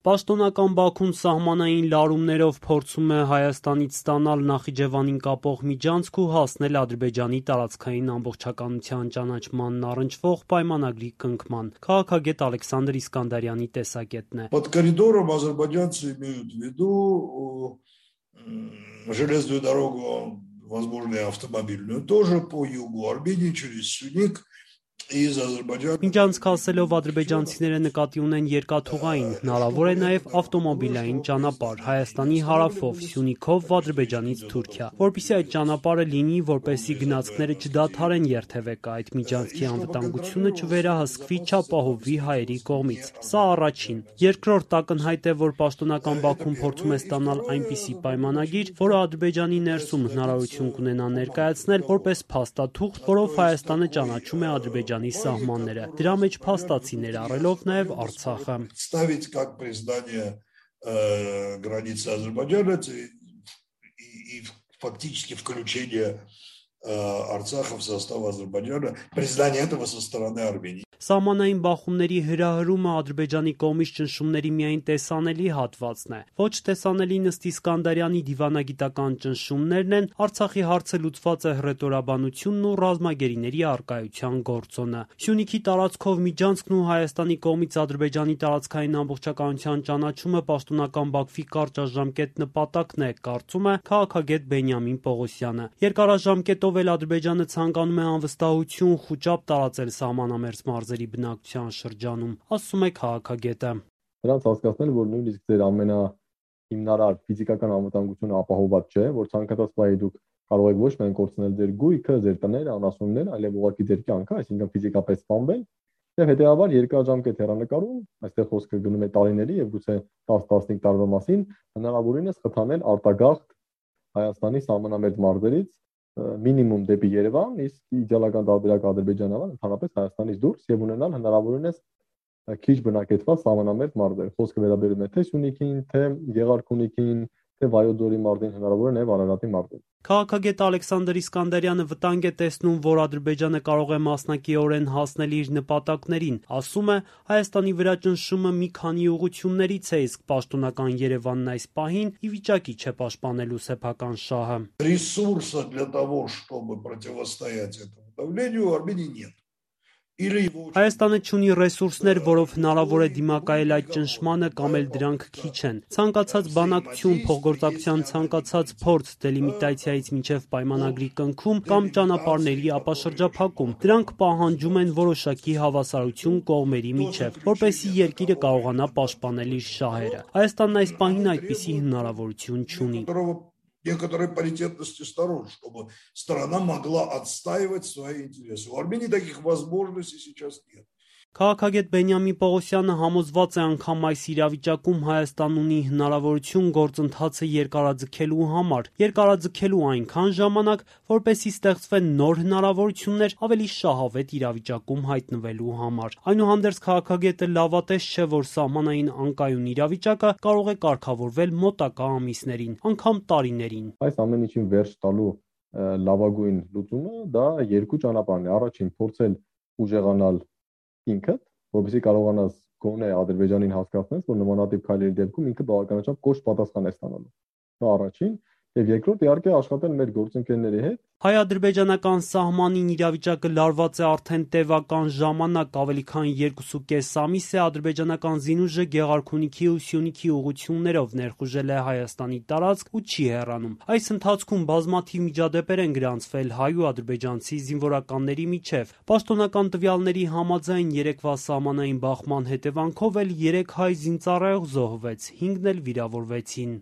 Պաշտոնական Բաքուն սահմանային լարումներով փորձում է Հայաստանից ստանալ Նախիջևանին կապող միջանցք ու հասնել Ադրբեջանի տարածքային ամբողջականության ճանաչմանն առնչվող պայմանագրի կնքման։ Քաղաքագետ Ալեքսանդր Իսկանդարյանի տեսակետն է։ Под коридором азербайджанцы имеют в виду железную дорогу, возможно, и автомобильную тоже по югу Армении через Сюник. Միջանցք ասելով ադրբեջանցիները նկատի ունեն երկաթուղային, հնարավոր է նաև ավտոմոբիլային ճանապարհ Հայաստանի հարավով, Սյունիքով, Ադրբեջանից Թուրքիա, որպեսզի այդ ճանապարհը լինի, որպեսզի գնացքները չդադարեն երթևեկը, այդ միջանցքի անվտանգությունը չվերահսկվի, չապահովվի հայերի կողմից։ Սա առաջին։ Երկրորդ ակնհայտ է, որ պաշտոնական Բաքուն փորձում է ստանալ այնպիսի պայմանագիր, որը Ադրբեջանի ներսում հնարավորություն կունենա ներկայացնել որպես փաստաթուղթ, որով Հայաստանը ճանաչում է Ադրբեջանի սահմանները, դրա մեջ փաստացի ներառելով նաև Արցախը։ Ставить как признание границы Азербайджана и фактически включение Արցախը в состав Азербайджана, признание этого со стороны Армении. Սահմանային բախումների հրահրումը Ադրբեջանի կողմից ճնշումների միայն տեսանելի հատվածն է։ Ոչ տեսանելին ըստ Իսկանդարյանի դիվանագիտական ճնշումներն են, Արցախի հարցը լուծված է հռետորաբանությունն ու ռազմագերիների առկայության գործոնը։ Սյունիքի տարածքով միջանցքն ու Հայաստանի կողմից Ադրբեջանի տարածքային ամբողջականության ճանաչումը պաշտոնական Բաքվի կարճաժամկետ նպատակն է, կարծում է քաղաքագետ Բենյամին Պողոսյանը։ Երկարաժամկետով էլ Ադրբեջանը ցանկանում է անվստահություն, խուճապ տարածել սահմանամերձ մարզերի բնակության շրջանում, ասում է քաղաքագետը։ Նրանց հասկացնել, որ նույնիսկ ձեր ամենահիմնարար ֆիզիկական անվտանգությունը ապահովված չէ, որ ցանկացած պահի դուք կարող եք ոչ միայն կորցնել ձեր գույքը, ձեր տները, անասունները, այլև ուղղակի ձեր կյանքը, այսինքն ֆիզիկապես սպանվել, եւ հետեւաբար երկարաժամկետ հեռանկարում, այստեղ խոսքը գնում է տարիների եւ գուցե 10-15 տարվա մասին, հնարավորինս խթանել արտագաղթ Հայաստանի սահմանամերձ մարզերից մինիմում դեպի Երևան, իսկ իդեալական տարբերակը Ադրբեջանական ընդհանրապես Հայաստանից դուրս եւ ունենալ հնարավորինս քիչ բնակեցված սահմանամերձ մարզեր։ Խոսքը վերաբերում է թե Սյունիքին, թե Գեղարքունիքին, թե Վայոց-Ձորի մարզին, հնարավոր է նաև Արարատի մարզին։ Քաղաքագետ Ալեքսանդր Իսկանդարյանը վտանգ է տեսնում, որ Ադրբեջանը կարող է մասնակիորեն հասնել իր նպատակներին։ Ասում է, Հայաստանի վրա ճնշումը մի քանի ուղղություններից է, իսկ պաշտոնական Երևանն այս պահին ի վիճակի չէ պաշտպանելու սեփական շահը։ Ресурса для того, чтобы противостоять этому давлению, у Армении нет. Հայաստանը չունի ռեսուրսներ, որով հնարավոր է դիմակայել այդ ճնշմանը կամ էլ դրանք քիչ են։ Ցանկացած բանակցություն, փոխգործակցության ցանկացած փորձ, դելիմիտացիայից մինչև պայմանագրի կնքում կամ ճանապարհների ապաշրջափակում, դրանք պահանջում են որոշակի հավասարություն կողմերի միջև, որպեսզի երկիրը կարողանա պաշտպանել իր շահերը։ Հայաստանն այս պահին այդպիսի հնարավորություն չունի։ Некоторой паритетности сторон, чтобы страна могла отстаивать свои интересы. У Армении таких возможностей сейчас нет. Քաղաքագետ Բենյամին Պողոսյանը համոզված է անգամ այս իրավիճակում Հայաստան ունի հնարավորություն գործընթացը երկարաձգելու համար, երկարաձգելու այնքան ժամանակ, որպեսզի ստեղծվեն նոր հնարավորություններ ավելի շահավետ իրավիճակում հայտնվելու համար։ Այնուհանդերձ քաղաքագետը լավատես չէ, որ սահմանային անկայուն իրավիճակը կարող է կարգավորվել մոտակա ամիսներին, անգամ տարիներին։ Այս ամեն ինչին վերջ տալու լավագույն լուծումը դա երկու ճանապարհն է։ Առաջին փորձել ուժեղանալ ինքդ, որովհետեւ կարողանաս գոնե Ադրբեջանին հասկացնես, որ նմանատիպ քայլերի դեպքում ինքը բավականաչափ կոշտ պատասխան է ստանալու։ Դա առաջին, եւ երկրորդ իհարկե աշխատել մեր գործընկերների հետ։ Հայ-ադրբեջանական սահմանին իրավիճակը լարված է արդեն տևական ժամանակ, ավելի քան 2.5 ամիս է ադրբեջանական զինուժը Գեղարքունիքի ու Սյունիքի ուղղություններով ներխուժել է Հայաստանի տարածք ու չի հեռանում։ Այս ընթացքում բազմաթիվ միջադեպեր են գրանցվել հայ ու ադրբեջանցի զինվորականների միջև։ Պաշտոնական տվյալների համաձայն երեկվա սահմանային բախման հետևանքով էլ 3 հայ զինծառայող զոհվեց, 5-ն էլ վիրավորվեցին։